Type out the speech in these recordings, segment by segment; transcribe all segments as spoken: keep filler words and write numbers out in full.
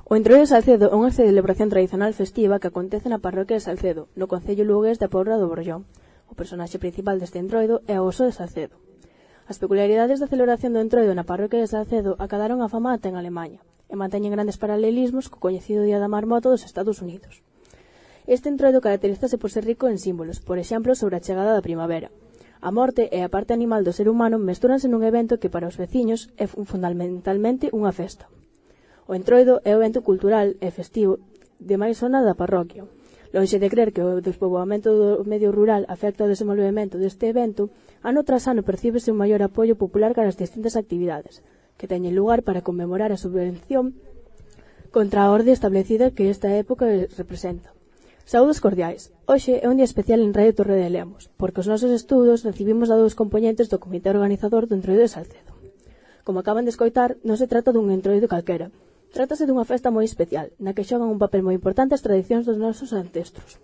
O Entroido de Salcedo é unha celebración tradicional festiva que acontece na parroquia de Salcedo, no concello lugués da Pobra do Borllón. O personaxe principal deste Entroido é o Oso de Salcedo. As peculiaridades da celebración do Entroido na parroquia de Salcedo acadaron a fama ata en Alemanha e manteñen grandes paralelismos co coñecido Día da Marmota dos Estados Unidos. Este Entroido caracterízase por ser rico en símbolos, por exemplo, sobre a chegada da primavera. A morte e a parte animal do ser humano mestúranse nun evento que para os veciños é fundamentalmente unha festa. O Entroido é o evento cultural e festivo de máis zona da parroquia. Lonxe de crer que o despoboamento do medio rural afecta o desenvolvemento deste evento, ano tras ano percíbese un maior apoio popular cara as distintas actividades que teñen lugar para conmemorar a subvención contra a orde establecida que esta época representa. Saúdos cordiais. Hoxe é un día especial en Radio Torre de Lemos, porque os nosos estudos recibimos a dous componentes do comité organizador do Entroido de Salcedo. Como acaban de escoitar, non se trata dun entroido calquera. Trátase dunha festa moi especial, na que xogan un papel moi importante as tradicións dos nosos ancestros.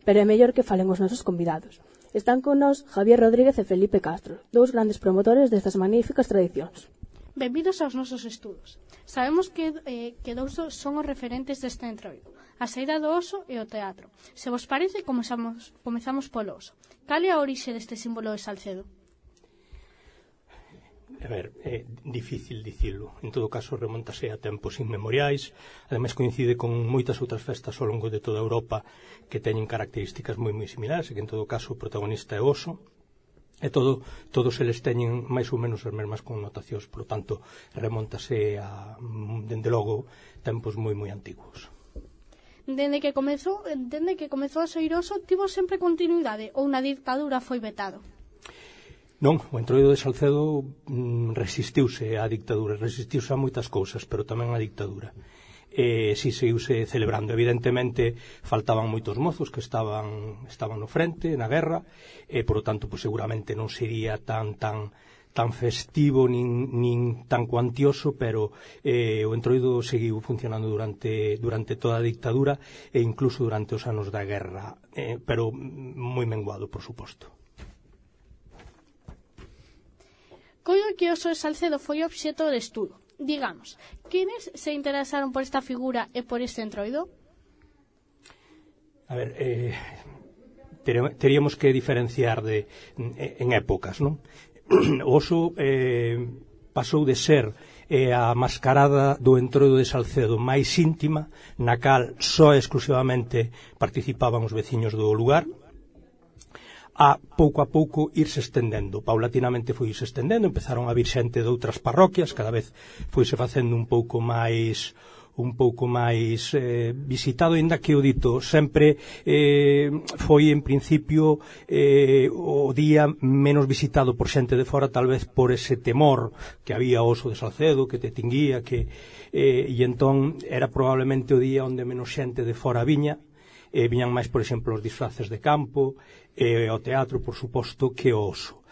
Pero é mellor que falen os nosos convidados. Están con nós Javier Rodríguez e Felipe Castro, dous grandes promotores destas magníficas tradicións. Benvidos aos nosos estudos. Sabemos que, eh, que dous son os referentes deste entroido, a saída do oso e o teatro. Se vos parece, comezamos, comezamos polo oso. Cal é a orixe deste símbolo de Salcedo? A ver, é difícil dicilo. En todo caso, remontase a tempos inmemoriais. Ademais, coincide con moitas outras festas ao longo de toda Europa que teñen características moi moi similares, e que en todo caso o protagonista é o oso. E todo, todos eles teñen máis ou menos as mesmas connotacións, por lo tanto, remontase a, dende logo, tempos moi moi antiguos. Dende que comezou, dende que comezou a saír oso, tivo sempre continuidade ou na dictadura foi vetado? Non, o Entroido de Salcedo mm, resistiuse á dictadura, resistiuse a moitas cousas, pero tamén á dictadura. E si seguiuse celebrando. Evidentemente, faltaban moitos mozos que estaban estaban no frente, na guerra, e, por lo tanto, pues, seguramente non sería tan tan tan festivo nin, nin tan cuantioso, pero eh, o Entroido seguiu funcionando durante durante toda a dictadura e incluso durante os anos da guerra, eh, pero moi menguado, por suposto. Coido que o Oso de Salcedo foi obxeto de estudo. Digamos, quenes se interesaron por esta figura e por este entroido? A ver, eh, teríamos que diferenciar de, en épocas, non? O oso eh, pasou de ser eh, a mascarada do Entroido de Salcedo máis íntima, na cal só exclusivamente participaban os veciños do lugar, a pouco a pouco irse estendendo. Paulatinamente foi irse estendendo, empezaron a vir xente de outras parroquias, cada vez foise facendo un pouco máis un pouco máis eh, visitado, ainda que o dito sempre eh, foi en principio eh, o día menos visitado por xente de fora, tal vez por ese temor que había o Oso de Salcedo, que te tinguía, que eh, e entón era probablemente o día onde menos xente de fora viña. Eh, viñan máis, por exemplo, os disfraces de campo e eh, o teatro, por suposto, que o oso.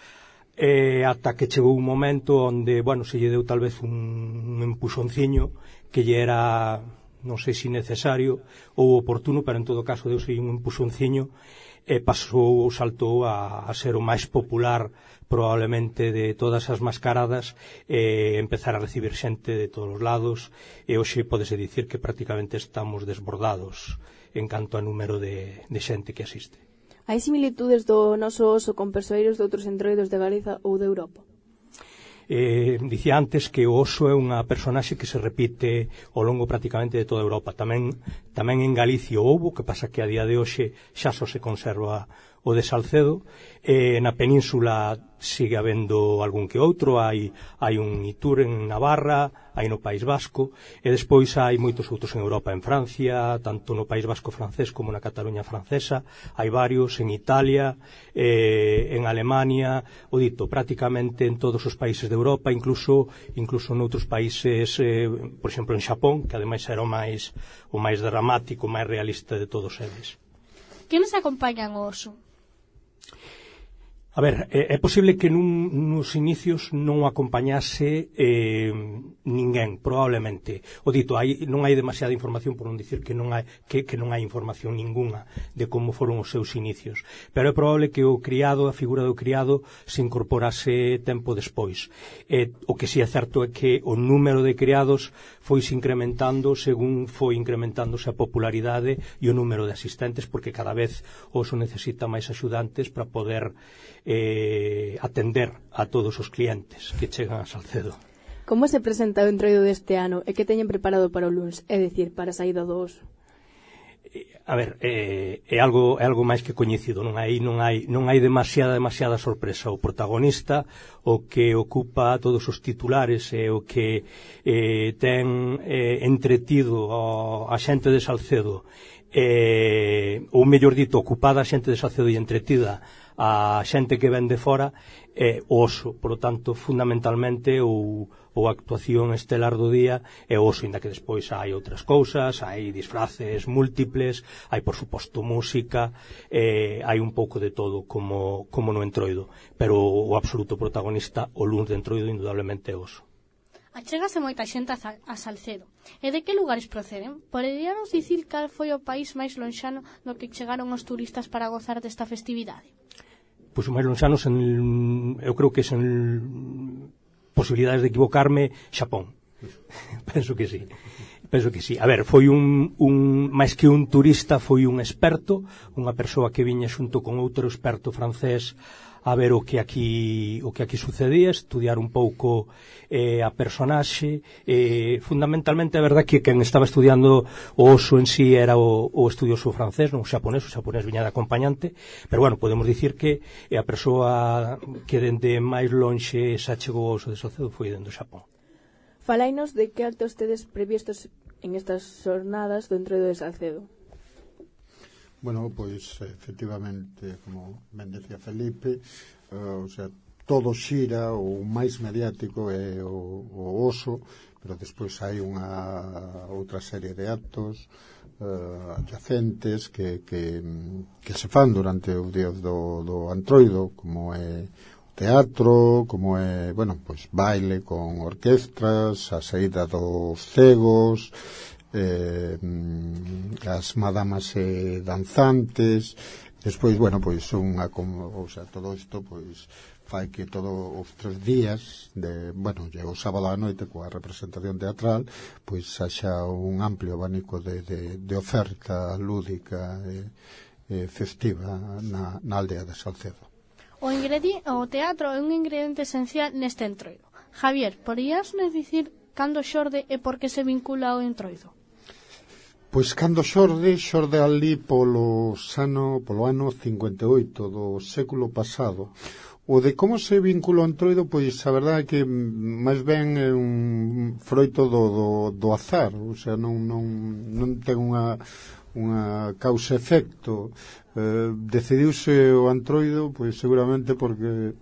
Eh, ata que chegou un momento onde, bueno, se lle deu tal vez un, un empuxonciño que lle era, non sei se necesario ou oportuno, pero en todo caso deuse un empuxonciño e pasou ou saltou a, a ser o máis popular probablemente de todas as mascaradas, e empezar a recibir xente de todos os lados, e hoxe podese dicir que prácticamente estamos desbordados en canto a número de, de xente que asiste. Hai similitudes do noso oso con persoeiros de outros entroidos de Galiza ou de Europa? Eh, dicía antes que o oso é unha personaxe que se repite ao longo prácticamente de toda Europa. Tamén, tamén en Galicia houbo, que pasa que a día de hoxe xa só se conserva o de Salcedo. Eh, na península sigue habendo algún que outro, hai, hai un Itur en Navarra, hai no País Vasco, e despois hai moitos outros en Europa, en Francia, tanto no País Vasco francés como na Cataluña francesa, hai varios en Italia, eh, en Alemania, o dito, prácticamente en todos os países de Europa, incluso incluso noutros países, eh, por exemplo en Xapón, que ademais era o máis, o máis dramático, o máis realista de todos eles. Quenes acompañan o oso? A ver, é, é posible que nun, nos inicios non o acompañase eh, ninguén, probablemente. O dito, hai, non hai demasiada información, por non dicir que non hai, que, que non hai información ninguna de como foron os seus inicios. Pero é probable que o criado, a figura do criado, se incorporase tempo despois. Eh, o que si é certo é que o número de criados foi se incrementando según foi incrementándose a popularidade e o número de asistentes, porque cada vez o oso necesita máis axudantes para poder eh, atender a todos os clientes que chegan a Salcedo. Como se presenta o entroido deste ano e que teñen preparado para o luns, é dicir, para a saída do oso? A ver, é, é algo é algo máis que coñecido, non hai non hai non hai demasiada demasiada sorpresa. O protagonista, o que ocupa todos os titulares e o que eh, ten eh, entretido a, a xente de Salcedo, eh, ou mellor dito, ocupada a xente de Salcedo e entretida a xente que ven de fora, é o oso. Por lo tanto, fundamentalmente o, o actuación estelar do día é o oso, inda que despois hai outras cousas, hai disfraces múltiples, hai por suposto música, eh, hai un pouco de todo como, como no entroido, pero o absoluto protagonista o luns de entroido indudablemente é o oso. Achégase moita xente a Salcedo. E de que lugares proceden? Poderíanos dicir cal foi o país máis lonxano no que chegaron os turistas para gozar desta festividade? Pois o máis lonxano, sen, eu creo que sen posibilidades de equivocarme, Xapón. Penso que sí. Penso que sí. A ver, foi un, un máis que un turista, foi un experto, unha persoa que viña xunto con outro experto francés a ver o que aquí o que aquí sucedía, estudiar un pouco eh, a personaxe, eh, fundamentalmente a verdade que quen estaba estudiando o oso en sí era o, o estudioso francés, non o xaponés, o xaponés viña de acompañante, pero bueno, podemos dicir que a persoa que dende máis lonxe xa chegou ao oso de Salcedo foi dende o Xapón. Falainos de que actos tedes previstos en estas xornadas do entroido de Salcedo. Bueno, pois, efectivamente, como ben decía Felipe, uh, o sea, todo xira, o máis mediático é o, o oso, pero despois hai unha outra serie de actos uh, adyacentes que, que, que se fan durante o día do, do antroido, como é teatro, como é, bueno, pois baile con orquestras, a saída dos cegos, eh, as madamas eh, danzantes, despois, bueno, pois unha, o sea, todo isto pois fai que todos os tres días de, bueno, o sábado á noite coa representación teatral, pois haxa un amplio abanico de, de, de oferta lúdica e eh, eh, festiva na, na aldea de Salcedo. O, o teatro é un ingrediente esencial neste entroido. Javier, porías nos dicir cando xorde e por que se vincula ao entroido? Pois cando xorde, xorde ali polo ano, polo ano cincuenta e oito do século pasado. O de como se vincula ao entroido, pois a verdade é que máis ben é un froito do, do, do azar, o sea, non, non, non ten unha, unha causa-efecto. Eh, decidiuse o antroido, pois seguramente porque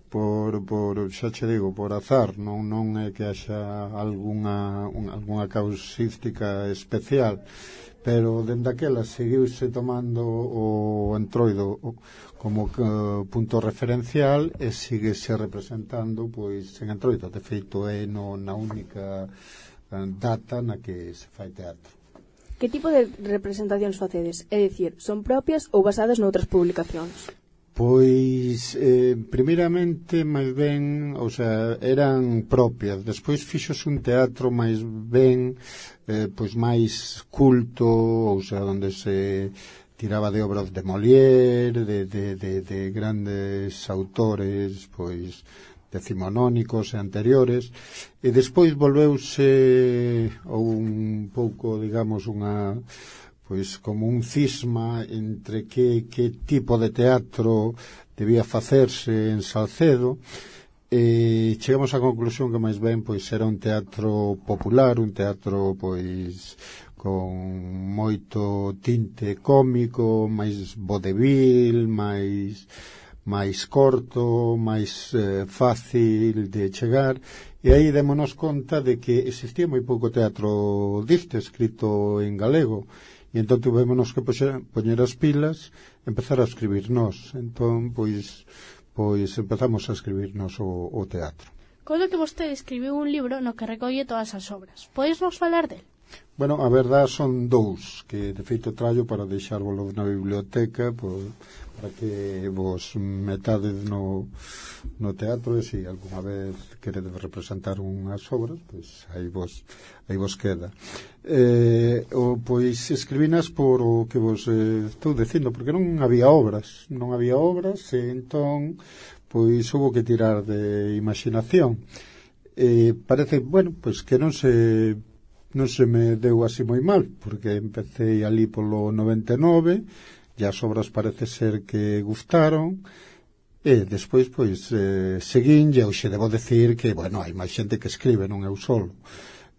por, por xa che digo, por azar, non, non é que haxa algunha, un, algunha causística especial, pero dende aquela seguiuse tomando o entroido como uh, punto referencial e síguese representando pois en entroido. De feito é no, na única uh, data na que se fai teatro. Que tipo de representacións facedes? É dicir, son propias ou basadas noutras publicacións? Pois, eh, primeiramente, máis ben, o sea, eran propias. Despois fixose un teatro máis ben, eh, pois máis culto, ou sea, onde se tiraba de obras de Molière, de, de, de, de grandes autores, pois, decimonónicos e anteriores, e despois volveuse un pouco, digamos, unha... pois como un cisma entre que, que tipo de teatro debía facerse en Salcedo, e chegamos á conclusión que máis ben pois era un teatro popular, un teatro pois con moito tinte cómico, máis vodevil, máis máis corto, máis eh, fácil de chegar, e aí démonos conta de que existía moi pouco teatro diste escrito en galego. E entón tuvémonos que poñer as pilas, empezar a escribirnos. Entón, pois, pois empezamos a escribirnos o, o teatro. Recordo que vostede escribiu un libro no que recolle todas as obras. Podes nos falar del? Bueno, a verdade son dous, que de feito trallo para deixárvolo na biblioteca, por, para que vos metades no, no teatro, e se alguna vez queredes representar unhas obras, pois aí vos, aí vos queda. Eh, o, pois escribinas por o que vos eh, estou dicindo, porque non había obras, non había obras, e entón pois houve que tirar de imaginación. Eh, parece, bueno, pois que non se non se me deu así moi mal, porque empecé ali polo noventa e nove, e as obras parece ser que gustaron, e despois, pois, eh, seguín, e hoxe debo decir que, bueno, hai máis xente que escribe, non eu solo.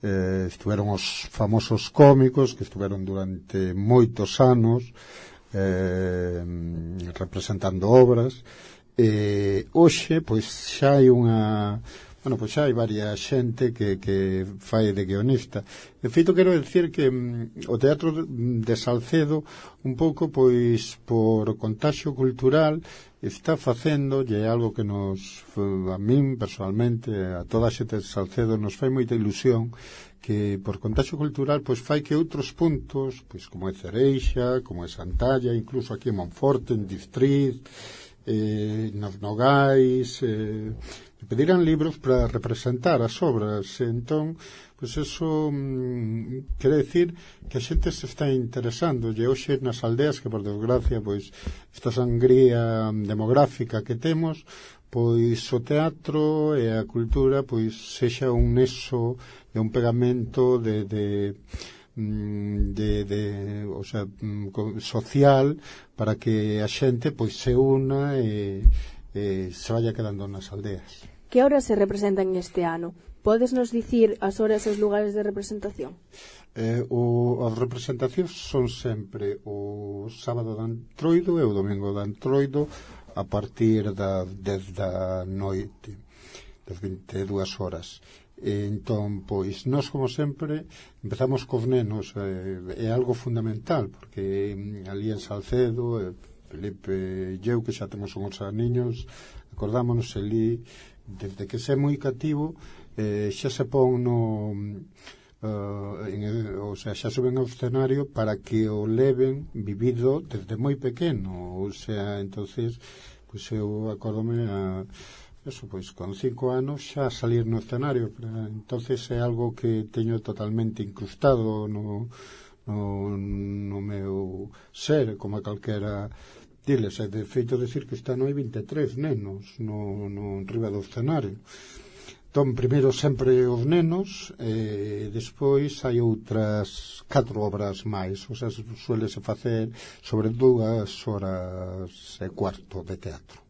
Eh, estuveron os famosos cómicos, que estuveron durante moitos anos eh, representando obras, e hoxe, pois, xa hai unha... Bueno, pois xa hai varias xente que, que fai de guionista. De feito, quero decir que mm, o teatro de Salcedo, un pouco, pois, por contaxio cultural, está facendo, e é algo que nos, a min, personalmente, a toda a xente de Salcedo, nos fai moita ilusión, que por contaxio cultural, pois, fai que outros puntos, pois, como é Cereixa, como é Santalla, incluso aquí en Monforte, en Distriz, eh, nos Nogais, eh, pediran libros para representar as obras. Entón, pois eso mm, quere decir que a xente se está interesando, e hoxe nas aldeas, que por desgracia, pois esta sangría demográfica que temos, pois o teatro e a cultura pois sexa un nexo e un pegamento de, de de, de o sea, social, para que a xente pois se una e, e se vaya quedando nas aldeas. Que obras se representan este ano? Podes nos dicir as horas e os lugares de representación? Eh, o, as representacións son sempre o sábado de Antroido e o domingo de Antroido, a partir da dez da noite, das vinte e dúas horas. E entón, pois, nós, como sempre, empezamos cos nenos, eh, é algo fundamental, porque ali en Salcedo, eh, Felipe e eu, que xa temos uns aniños, acordámonos ali, desde que se é moi cativo, eh, xa se pon no... Uh, en, o sea, xa suben ao escenario para que o leven vivido desde moi pequeno, o sea, entonces, pois eu acordome a eso, pois con cinco anos xa salir no escenario, pero, entonces é algo que teño totalmente incrustado no, no, no meu ser, como a calquera diles, é de feito decir que está no hai vinte e tres nenos no, no riba do escenario. Entón, primeiro sempre os nenos, e despois hai outras catro obras máis, o sea, suelese facer sobre dúas horas e cuarto de teatro.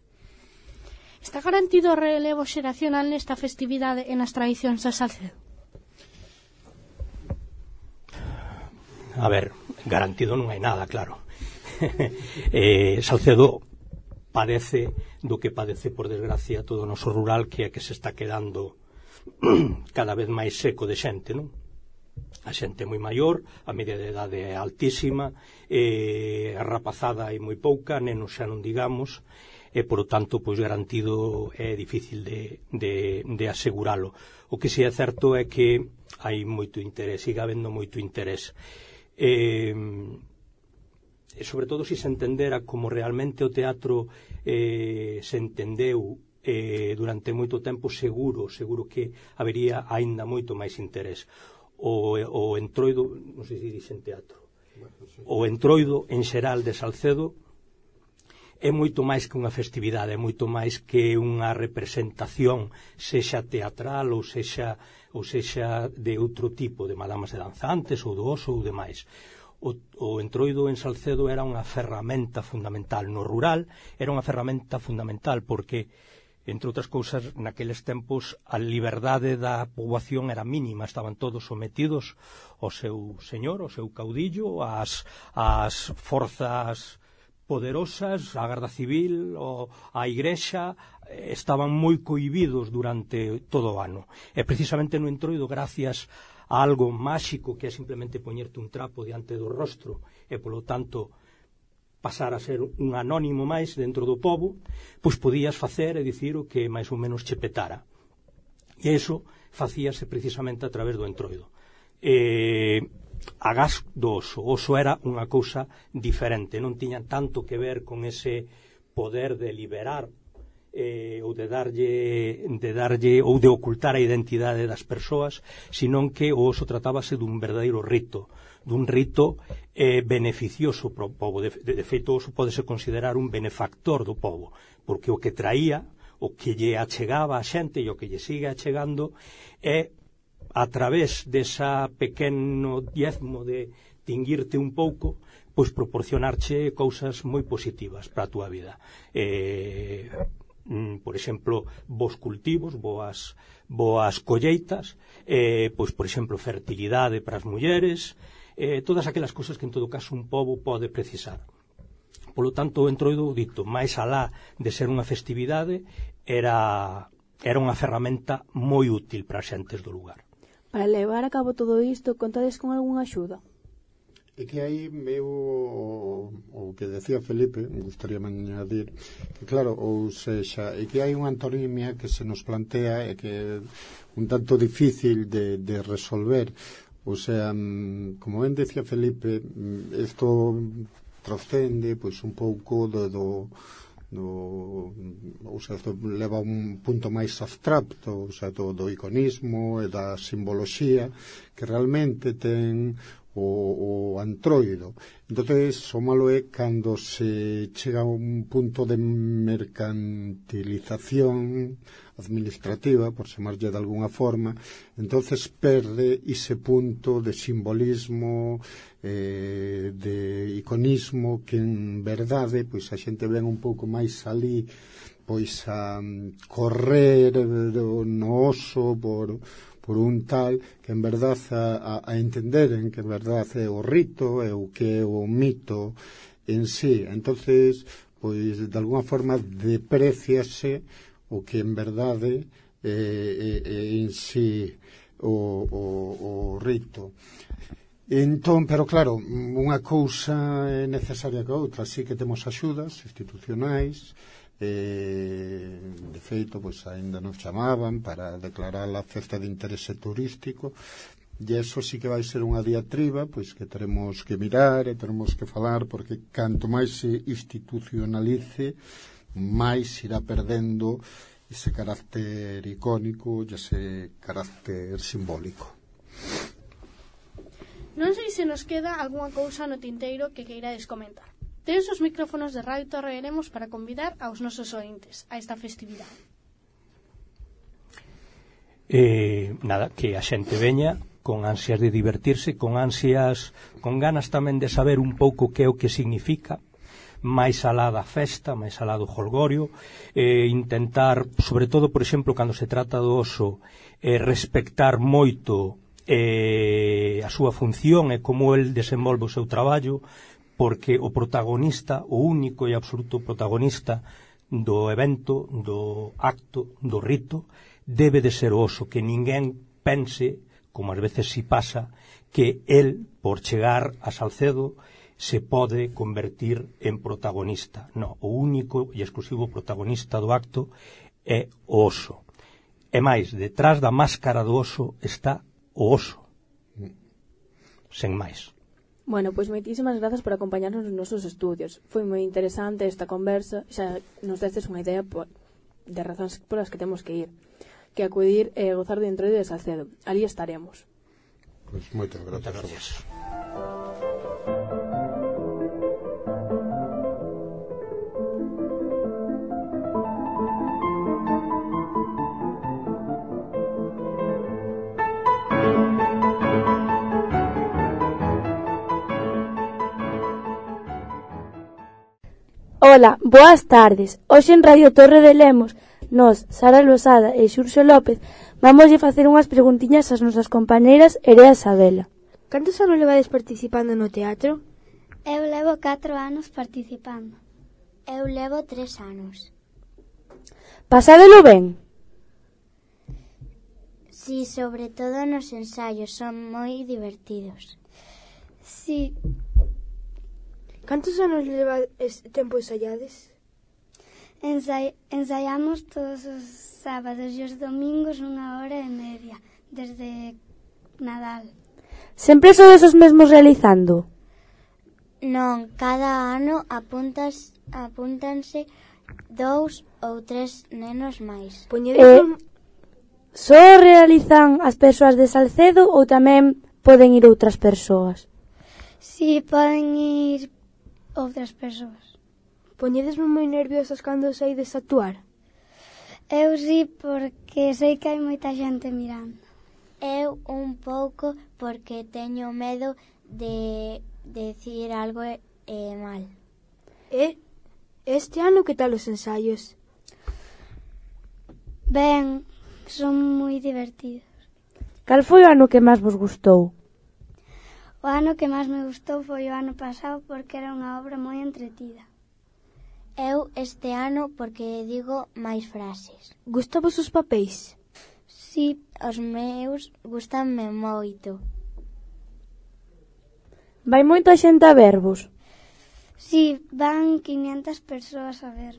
Está garantido o relevo xeracional nesta festividade e nas tradicións de Salcedo? A ver, garantido non hai nada, claro. eh, Salcedo padece do que padece, por desgracia, todo o noso rural, que é que se está quedando cada vez máis seco de xente, non? A xente é moi maior, a media de idade é altísima, e a rapazada hai moi pouca, nenos xa non digamos, e, por o tanto, pois garantido é difícil de, de, de aseguralo. O que si é certo é que hai moito interés, siga habendo moito interés. E... e sobre todo se se entendera como realmente o teatro eh, se entendeu eh, durante moito tempo, seguro seguro que habería aínda moito máis interés. O, o entroido, non sei se dixen teatro, o entroido en xeral de Salcedo é moito máis que unha festividade, é moito máis que unha representación, sexa teatral ou sexa, ou sexa de outro tipo, de madamas e danzantes ou do oso ou demais. O, o entroido en Salcedo era unha ferramenta fundamental no rural, era unha ferramenta fundamental porque, entre outras cousas, naqueles tempos a liberdade da poboación era mínima, estaban todos sometidos ao seu señor, ao seu caudillo, ás, ás forzas poderosas, a Garda Civil, ou a Igrexa, estaban moi cohibidos durante todo o ano. E precisamente no entroido, gracias a algo máxico que é simplemente poñerte un trapo diante do rostro e, polo tanto, pasar a ser un anónimo máis dentro do pobo, pois podías facer e dicir o que máis ou menos che petara. E iso facíase precisamente a través do entroido. Eh, a gas do oso. O oso era unha cousa diferente, non tiña tanto que ver con ese poder de liberar eh, ou de darlle, de darlle ou de ocultar a identidade das persoas, senón que o oso tratábase dun verdadeiro rito, dun rito eh, beneficioso para o povo. De, de, de feito, o oso podese considerar un benefactor do povo, porque o que traía, o que lle achegaba a xente e o que lle sigue achegando é, a través desa pequeno diezmo de tinguirte un pouco, pois proporcionarche cousas moi positivas para a túa vida. Eh, por exemplo, bons cultivos, boas, boas colleitas, eh, pois, por exemplo, fertilidade para as mulleres, eh, todas aquelas cousas que en todo caso un pobo pode precisar. Polo tanto, o entroido, dito, máis alá de ser unha festividade, era, era unha ferramenta moi útil para as xentes do lugar. Para levar a cabo todo isto, contades con algunha axuda? É que aí meu o que decía Felipe, me gustaría añadir que claro, ou sexa, é que hai unha antonimia que se nos plantea e que é un tanto difícil de, de resolver. O sea, como ben decía Felipe, isto trascende pois un pouco do, do do, ou sea, isto leva a un punto máis abstracto, o sea, do, do iconismo e da simboloxía que realmente ten o, o antroido. Entonces, o malo é cando se chega a un punto de mercantilización administrativa, por chamarlle de alguna forma, entonces perde ese punto de simbolismo, eh, de iconismo, que en verdade, pois a xente ven un pouco máis ali, pois a um, correr no oso por, por un tal que en verdade a, a entenderen que en verdade é o rito, é o que é o mito en sí. Entonces, pois de alguna forma depreciase o que en verdade é, é, é en sí o, o, o rito. Entón, pero claro, unha cousa é necesaria que outra, así que temos axudas institucionais, eh, de feito, pois aínda nos chamaban para declarar a festa de interese turístico, e eso sí que vai ser unha diatriba, pois que teremos que mirar e teremos que falar, porque canto máis se institucionalice, máis irá perdendo ese carácter icónico e ese carácter simbólico. Non sei se nos queda algunha cousa no tinteiro que queirades comentar. Tedes os micrófonos de Radio Torre Eremos para convidar aos nosos ointes a esta festividade. Eh, nada, que a xente veña con ansias de divertirse, con ansias, con ganas tamén de saber un pouco que é o que significa, máis alá da festa, máis alá do jolgorio, eh, intentar, sobre todo, por exemplo, cando se trata do oso, eh, respectar moito eh, a súa función e como el desenvolve o seu traballo, porque o protagonista, o único e absoluto protagonista do evento, do acto, do rito, debe de ser o oso, que ninguén pense, como ás veces si pasa, que el, por chegar a Salcedo, se pode convertir en protagonista. No, o único e exclusivo protagonista do acto é o oso. E máis, detrás da máscara do oso está o oso. Sen máis. Bueno, pois moitísimas grazas por acompañarnos nos nosos estudios. Foi moi interesante esta conversa, xa nos destes unha idea por, de razóns polas que temos que ir, que acudir e gozar de entroido de Salcedo. Ali estaremos. Pois moitas grazas. Moitas gracias. Ola, boas tardes. Hoxe en Radio Torre de Lemos, nos, Sara Losada e Xurxo López, vamos a facer unhas preguntiñas ás nosas compañeiras Erea e Sabela. Cantos anos levades participando no teatro? Eu levo catro anos participando. Eu levo tres anos. Pasádelo ben? Si, sobre todo nos ensaios, son moi divertidos. Si. Cantos anos leva ese tempo ensaiades? Ensai ensaiamos todos os sábados e os domingos unha hora e media, desde Nadal. Sempre sodes os mesmos realizando? Non, cada ano apuntas, apúntanse dous ou tres nenos máis. Poñedes Eh, un... Só realizan as persoas de Salcedo ou tamén poden ir outras persoas? Si, poden ir outras persoas. Poñedesme moi nerviosas cando saides a actuar. Eu si, porque sei que hai moita xente mirando. Eu un pouco porque teño medo de decir algo e, e mal. E este ano que tal os ensaios? Ben, son moi divertidos. Cal foi o ano que máis vos gustou? O ano que máis me gustou foi o ano pasado porque era unha obra moi entretida. Eu este ano porque digo máis frases. Gustabos os papéis? Si, os meus gustanme moito. Vai moita xente a vervos? Si, van quinientas persoas a ver.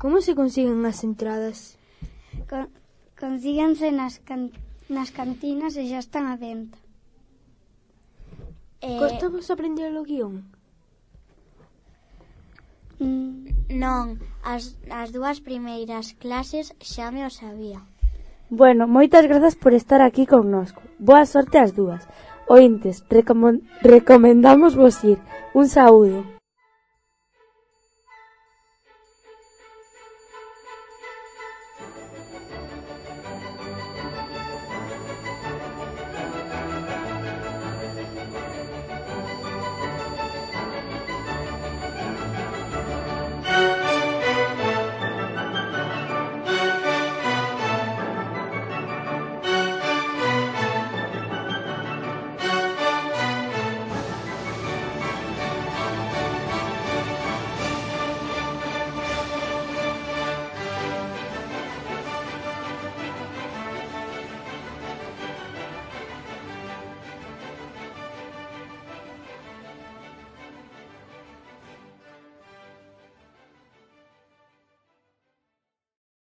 Como se consiguen as entradas? Con, consíganse nas, can, nas cantinas e xa están a venta. Eh, Costamos aprender o guión? mm, non, as, as dúas primeiras clases xa me o sabía. Bueno, moitas grazas por estar aquí connosco. Boa sorte ás dúas. Ointes, recom- recomendamos vos ir. Un saúdo.